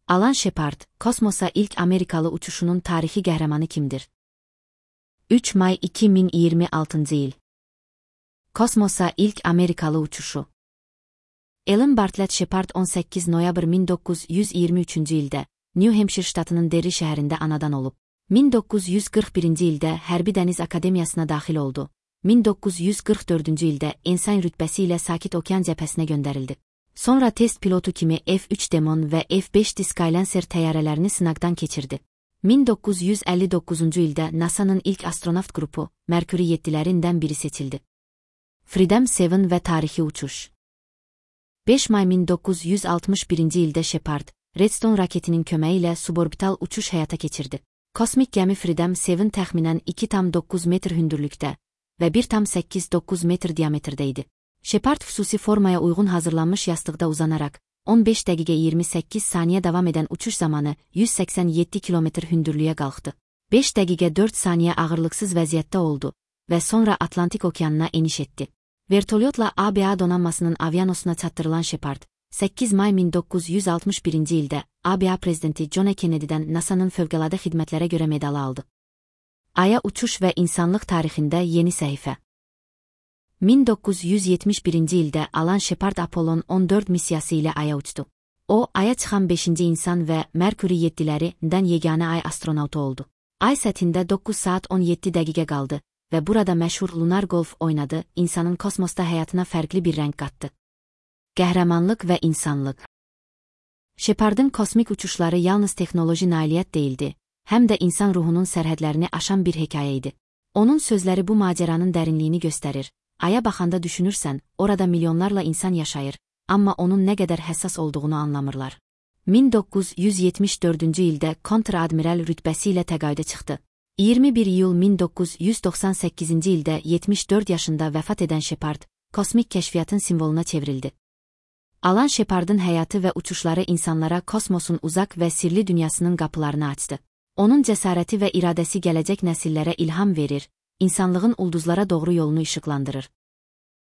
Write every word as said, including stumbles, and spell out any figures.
Alan Shepard, kosmosa ilk Amerikalı uçuşunun tarixi qəhrəmanı kimdir? üç may iki min iyirmi altıncı il. Kosmosa ilk Amerikalı uçuşu. Alan Bartlett Shepard on səkkiz noyabr min doqquz yüz iyirmi üçüncü ildə New Hampshire ştatının Derry şəhərində anadan olub. min doqquz yüz qırx birinci ildə Hərbi Dəniz Akademiyasına daxil oldu. min doqquz yüz qırx dördüncü ildə ensign rütbəsi ilə Sakit Okean cəbhəsinə göndərildi. Sonra test pilotu kimi F üç Demon və F beş Skylancer təyyarələrini sınaqdan keçirdi. min doqquz yüz əlli doqquzuncu ildə NASA'nın ilk astronavt qrupu, Mercury yeddilərindən biri seçildi. Freedom yeddi və tarixi uçuş. beş may min doqquz yüz altmış birinci ildə Shepard, Redstone raketinin köməyi ilə suborbital uçuş həyata keçirdi. Kosmik gəmi Freedom yeddi təxminən iki tam doqquz metr hündürlükdə və bir tam səkkiz doqquz metr diametrdə idi. Shepard xüsusi formaya uyğun hazırlanmış yastıqda uzanaraq, on beş dəqiqə iyirmi səkkiz saniyə davam edən uçuş zamanı yüz səksən yeddi kilometr hündürlüyə qalxdı. beş dəqiqə dörd saniyə ağırlıqsız vəziyyətdə oldu və sonra Atlantik okeanına eniş etdi. Vertolyotla A B A donanmasının avianosuna çatdırılan Shepard, səkkiz may min doqquz yüz altmış birinci ildə A B A prezidenti John F. Kennedy'dən NASA'nın fövqəladə xidmətlərə görə medalı aldı. Aya uçuş və insanlıq tarixində yeni səhifə. min doqquz yüz yetmiş birinci ildə Alan Shepard Apollon on dörd missiyası ilə Aya uçdu. O, Aya çıxan beşinci insan və Mercury yeddilərindən yeganə Ay astronavtu oldu. Ay səthində doqquz saat on yeddi dəqiqə qaldı və burada məşhur lunar golf oynadı, insanın kosmosda həyatına fərqli bir rəng qatdı. Qəhrəmanlıq və insanlıq. Shepardın kosmik uçuşları yalnız texnoloji nailiyyət deyildi, həm də insan ruhunun sərhədlərini aşan bir hekayə idi. Onun sözləri bu macəranın dərinliyini göstərir. Aya baxanda düşünürsən, orada milyonlarla insan yaşayır, amma onun nə qədər həssas olduğunu anlamırlar. min doqquz yüz yetmiş dördüncü ildə kontr-admiral rütbəsi ilə təqaüdə çıxdı. iyirmi bir iyul min doqquz yüz doxsan səkkizinci ildə yetmiş dörd yaşında vəfat edən Shepard, kosmik kəşfiyyatın simvoluna çevrildi. Alan Shepardın həyatı və uçuşları insanlara kosmosun uzaq və sirli dünyasının qapılarını açdı. Onun cəsarəti və iradəsi gələcək nəsillərə ilham verir, insanlığın ulduzlara doğru yolunu işıqlandırır.